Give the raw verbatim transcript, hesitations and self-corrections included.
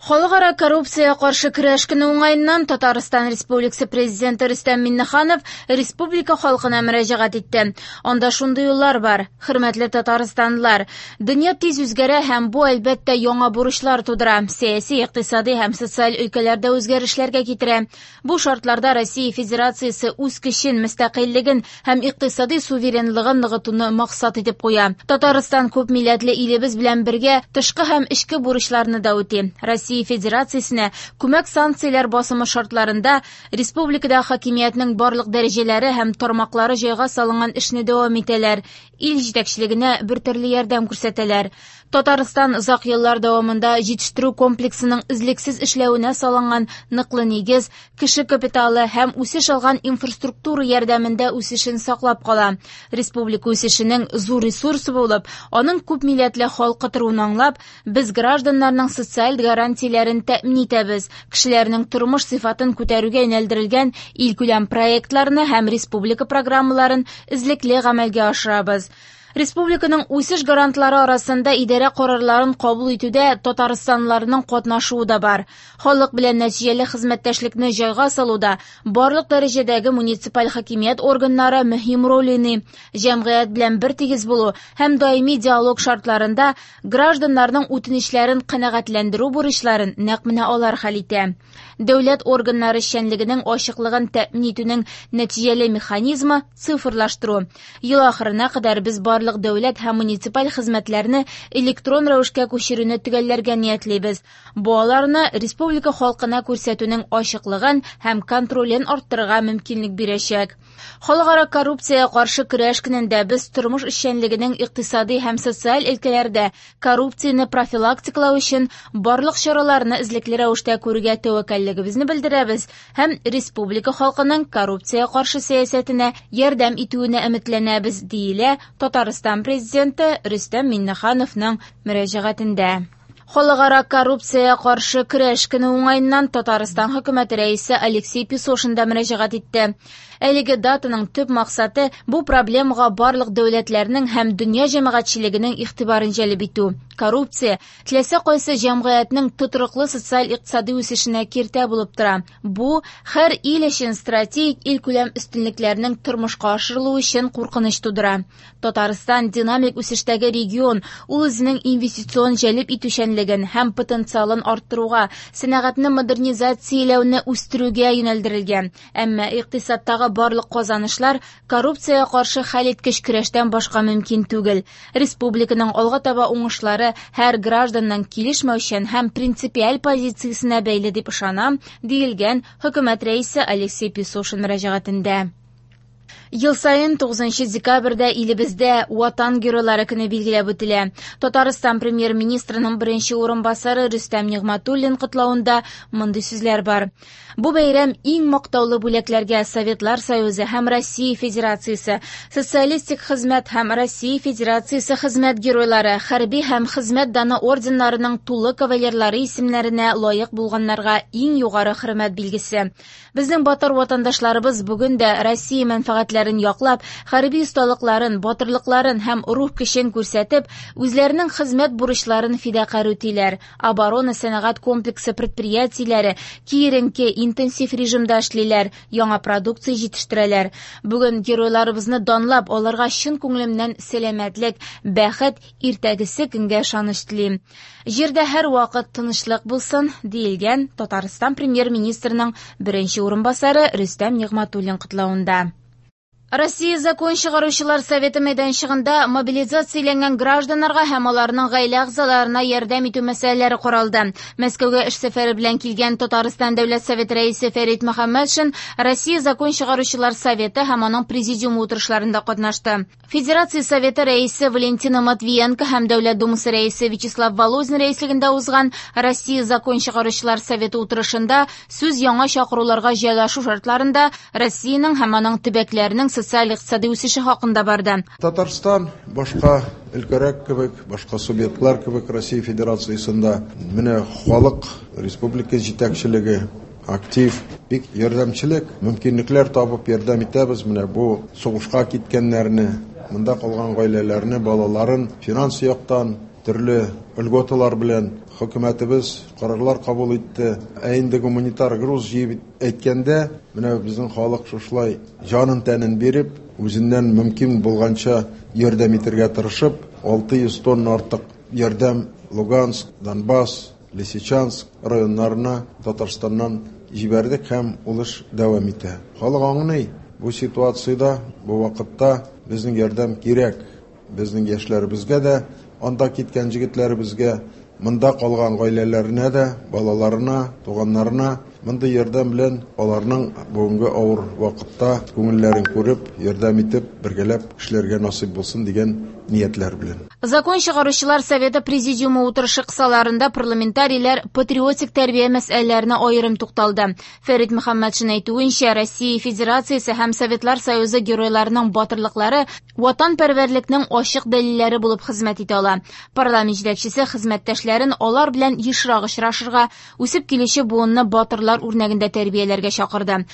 Халыкара коррупциягә каршы көрәш көне уңаеннан Татарстан Республикасы Президенты Рөстәм Миңнеханов республика халкына мөрәҗәгать итте. Анда шундый юллар бар: "Хөрмәтле татарстанлылар, дөнья тиз үзгәрә һәм бу әлбәттә яңа бурычлар тудыра, сәяси, икътисади һәм социаль өлкәләрдә үзгәрешләргә китерә. Бу шартларда Россия Федерациясе үз көчен, мөстәкыйльлеген һәм икътисади суверенлыгын ныгытуны максат итеп куя. Татарстан күп милләтле илебез белән бергә тышкы һәм эчке бурычларны да үти. Россия Федерациясенә күмәк санкцияләр басымы шартларында республикада хакимиятнең барлык дәрәҗәләре һәм тармаклары җайга салынган эшне дәвам итәләр, ил җитәкчелегенә бер төрле ярдәм күрсәтәләр. Татарстан озак еллар дәвамында җитештерү комплексының өзлексез эшләвенә салынган ныклы нигез, кеше капиталы һәм үсеш алган инфраструктура ярдәмендә үсешен саклап кала. Республика үсешенең зур ресурсы булып, аның күп милләтле халкы торуын аңлап, без гражданнарның социаль гарантияләрен тәэмин итәбез, кешеләрнең тормыш сыйфатын күтәрүгә юнәлдерелгән илкүләм проектларны һәм республика программаларын эзлекле гамәлгә ашырабыз. Республиканың үсеш гарантлары арасында идарә карарларын кабул итүдә татарстанлыларның катнашуы да бар. Халык белән нәтиҗәле хезмәттәшлекне җайга салуда барлык дәрәҗәдәге муниципаль хакимият органнары мөһим роль уйный. Җәмгыять белән бертигез булу һәм даими диалог шартларында гражданнарның үтенечләрен канәгатьләндерү бурычларын нәкъ менә алар хәл итә. Дәүләт органнары эшчәнлегенең ачыклыгын тәэмин итүнең нәтиҗәле механизмы цифрлаштыру. Ел ахырына кадәр без барлык дәүләт һәм муниципаль хезмәтләрне электрон рәвешкә күчерүне төгәлләргә ниятлибез. Бу аларны республика халкына күрсәтүнең ачыклыгын һәм контролен арттырырга мөмкинлек бирәчәк. Халыкара коррупциягә каршы көрәш көнендә без тормыш эшчәнлегенең икътисади һәм социаль өлкәләрдә коррупцияне профилактикалау өчен барлык чараларны эзлекле рәвештә күрергә тәвәккәллегебезне белдерәбез һәм республика халкының коррупциягә каршы сәясәтенә ярдәм итүенә өметләнәбез, диелә Татарстан Президенты Рөстәм Миңнехановның мөрәҗәгатендә. Халыкара коррупциягә каршы көрәш көне уңаеннан Татарстан хөкүмәте рәисе Алексей Песошин да мөрәҗәгать итте. Әлеге датаның төп максаты бу проблемага барлык дәүләтләрнең һәм дөнья җәмәгатьчелегенең игътибарын җәлеп итү. Коррупция теләсә кайсы җәмгыятьнең тотрыклы социаль-икътисади үсешенә киртә булып тора. Бу һәр ил өчен стратегик илкүләм өстенлекләрнең тормышка ашырылуы өчен куркыныч тудыра. Татарстан динамик үсештәге регион, ул үзенең инвестицион җәлеп итүчәнлеген һәм потенциалын арттыруга, сәнәгатьне модернизацияләүне үстерүгә юнәлдерелгән. Әмма икътисадтагы барлык казанышлар коррупциягә каршы хәлиткеч көрәштән башка мөмкин түгел. Республиканың алга таба уңышлары һәр гражданның килешмәүчән һәм принципиаль позициясенә бәйле дип ышанам, диелгән хөкүмәт рәисе Алексей Песошин мөрәҗәгатендә. Ел саен тугызынчы декабрьдә илебездә Ватан геройлары көне билгеләп үтелә. Татарстан премьер-министрының беренче урынбасары Рөстәм Нигъмәтуллин котлавында мондый сүзләр бар. Бу бәйрәм иң мактаулы бүләкләргә Советлар Союзы һәм Россия Федерациясе, Социалистик хезмәт һәм Россия Федерациясе хезмәт геройлары, хәрби һәм хезмәт даны орденнарының тулы кавалерлары исемнәренә лаек булганнарга иң югары хөрмәт билгесе. Безнең батыр ватандашларыбыз бүген дә Россия мәнфәгатьләрен яклап, хәрби осталыкларын, батырлыкларын һәм рух көчен күрсәтеп, үзләренең хезмәт бурычларын фидакарь үтиләр. Оборона сәнәгать комплексы предприятиеләре киеренке интенсив режимда эшлиләр, яңа продукция җитештерәләр. Бүген геройларыбызны данлап, аларга чын күңелемнән сәламәтлек, бәхет, иртәгесе көнгә ышаныч телим. Җирдә һәр вакыт тынычлык булсын, диелгән Татарстан премьер-министрының беренче урынбасары Рөстәм Нигъмәтуллин котлавында. Россия закон чыгаручылар советы мәйданчыгында мобилизацияләнгән гражданнарга һәм аларның гаилә әгъзаларына ярдәм итү мәсьәләләре каралды. Мәскәүгә эш сәфәре белән килгән Татарстан Дәүләт Советы рәисе Фәрит Мөхәммәтшин Россия закон чыгаручылар советы һәм аның президиумы утырышларында катнашты. Федерация Советы рәисе Валентина Матвиенко һәм Дәүләт Думасы рәисе Вячеслав Володин рәислегендә узган Россия закон чыгаручылар советы утырышында сүз яңа чакыруларга җайлашу шартларында Россиянең һәм аның төбәкләренең социаль-икътисади үсеше хакында барды. Татарстан башка өлкәләр кебек, башка субъектлар кебек Россия Федерациясендә менә халык республика җитәкчелеге актив, бик ярдәмчелек, мөмкинлекләр табып ярдәм итәбез. Менә бу сугышка киткәннәрне, монда калган гаиләләрне, балаларын финанс яктан, Төрле льготалар белән хөкүмәтебез карарлар кабул итте. Ә инде гуманитар груз җыеп әйткәндә, менә безнең халык шушылай җанын тәнен биреп, үзеннән мөмкин булганча ярдәм итәргә тырышып, алты йөз тонна артык ярдәм Луганск, Донбасс, Лисичанск районнарына Татарстаннан җибәрдек һәм ул эш дәвам итә. Халык аңлый, бу ситуациядә, бу вакытта безнең ярдәм кирәк. Безнең яшьләребезгә дә, анда киткән җегетләребезгә, монда калган гаиләләренә дә, балаларына, туганнарына мондый ярдәм белән аларның бүгенге авыр вакытта күңелләрен күреп, ярдәм итеп, бергәләп эшләргә насыйп булсын дигән ниятләр белән. Закон чыгаручылар Советы Президиумы утырышы кысаларында парламентарийлар патриотик тәрбия мәсьәләләренә аерым тукталды. Фәрит Мөхәммәтшин әйтүенчә, Россия Федерациясе һәм Советлар Союзы геройларының батырлыклары ватанпәрвәрлекнең ачык дәлилләре булып хезмәт итә ала. Парламент җитәкчесе хезмәттәшләрен алар белән ешрак очрашырга, үсеп килүче буынны батырлар үрнәгендә тәрбияләргә чакырды.